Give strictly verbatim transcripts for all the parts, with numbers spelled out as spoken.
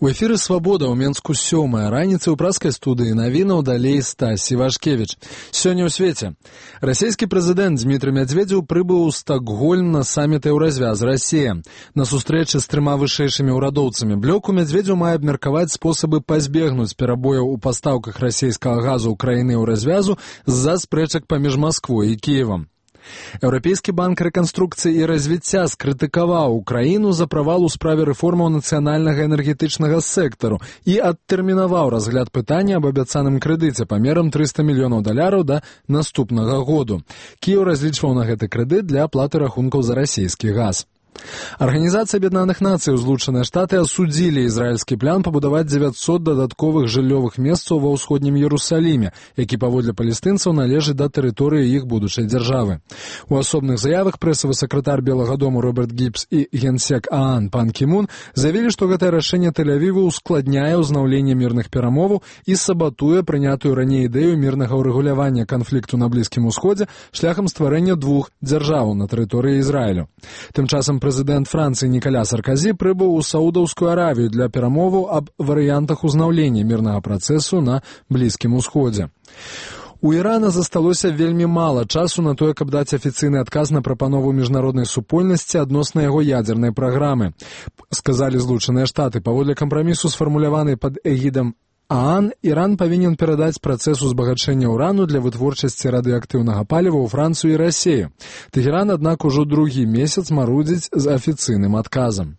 У эфіры «Свабода» ў Менску сёмая раніца ў праскай студыі навінаў далей Стась Івашкевіч. Сёння ў свеце. Расійскі прэзідэнт Дмітрый Медведзеў прыбыў у Стокгольм на саміт «Еўразвяз Расія». На сустрэчы з трыма вышэйшымі ўрадоўцамі блёку Медведзеў мае абмеркаваць спосабы пазбегнуць перабояў у пастаўках расійскага газу ў краіны Еўразвязу з-за спрэчак паміж Масквой і Кіевам. Еўрапейскі банк рэканструкцыі і развіцця скрытыкаваў Украіну за правал у справе рэформаў нацыянальнага энергетычнага сектару і адтэрмінаваў разгляд пытання аб абяцаным крэдыце памерам трыста мільёнаў даляраў да наступнага году. Кіеў разлічваў на гэты крэдыт для аплаты рахункаў за расійскі газ. Арганізацыя Аб'яднаных Нацый і Злучаныя Штаты асудзілі ізраільскі план пабудаваць дзевяцьсот дадатковых жыллёвых месцаў ва ўсходнім Іерусаліме, які паводле палестынцаў належыць да тэрыторыі іх будучай дзяржавы. У асобных заявах прэсавы сакратар Белага дому Роберт Гібс і генсек ААН Пан Кі Мун заявілі, што гэтае рашэнне Тель-Авіву ускладняе ўзнаўленне мірных перамоваў і сабатуе прынятую раней ідэю мірнага ўрэгулявання канфлікту на Блізкім Усходзе шляхам стварэння двух дзяржаваў на тэрыторыі Ізраілю. Тым часам прэзідэнт Францыі Нікаля Сарказі прыбыў у Саудаўскую Аравію для перамоваў аб варыянтах узнаўлення мірнага працэсу на Блізкім Усходзе. У Ірана засталося вельмі мала часу на тое, каб даць афіцыйны адказ на прапанову міжнароднай супольнасці адносна яго ядзернай праграмы, сказалі Злучаныя Штаты. Паводле кампрамісу, сфармуляванай пад эгідам ААН, Іран павінен перадаць працэс узбагачэння ўрану для вытворчасці радыеактыўнага паліва ў Францыю і Расію. Тэхеран, аднак, ужо другі месяц марудзіць з афіцыйным адказам.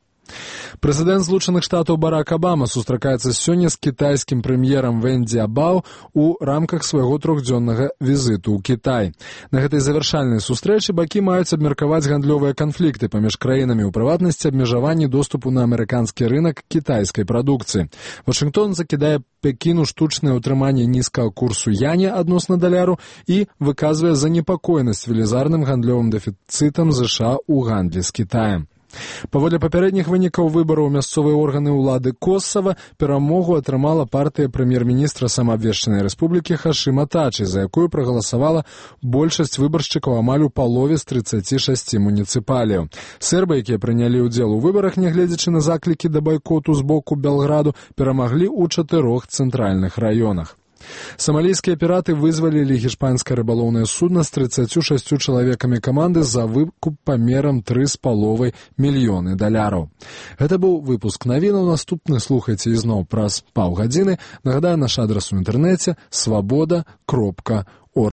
Прэзідэнт Злучаных Штатаў Барак Абама сустракаецца сёння з кітайскім прэм'ерам Вэн Дзябао у рамках свайго трохдзённага візіту ў Кітай. На гэтай завяршальнай сустрэчы бакі маюць абмеркаваць гандлёвыя канфлікты паміж краінамі, у прыватнасці абмежаванні доступу на амерыканскі рынак кітайскай прадукцыі. Вашынгтон закідае Пекіну штучнае ўтрыманне нізкага курсу яня адносна даляру і выказвае занепакоенасць велізарным гандлёвым дэфіцытам ЗША ў гандлі з Кітаем. Паводле папярэдніх вынікаў выбараў мясцовыя органы ўлады Косава перамогу атрымала партыя прэм'ер-міністра самаабвешчанай рэспублікі Хашыма Тачы, за якую прагаласавала большасць выбаршчыкаў амаль у палове з трыццаці шасці муніцыпаліяў. Сербы, якія прынялі ўдзел у выбарах, нягледзячы на заклікі да байкоту з боку Белграду, перамаглі ў чатырох цэнтральных раёнах. Самалійскія піраты вызвалілі гішпанскае рыбалоўнае судна з трыццаццю шасцю чалавекамі каманды за выкуп памерам тры з паловай мільёны даляраў. Гэта быў выпуск навінаў. Наступны слухайце ізноў праз паўгадзіны. Нагадаю, наш адрас у інтэрнэце свабода кропка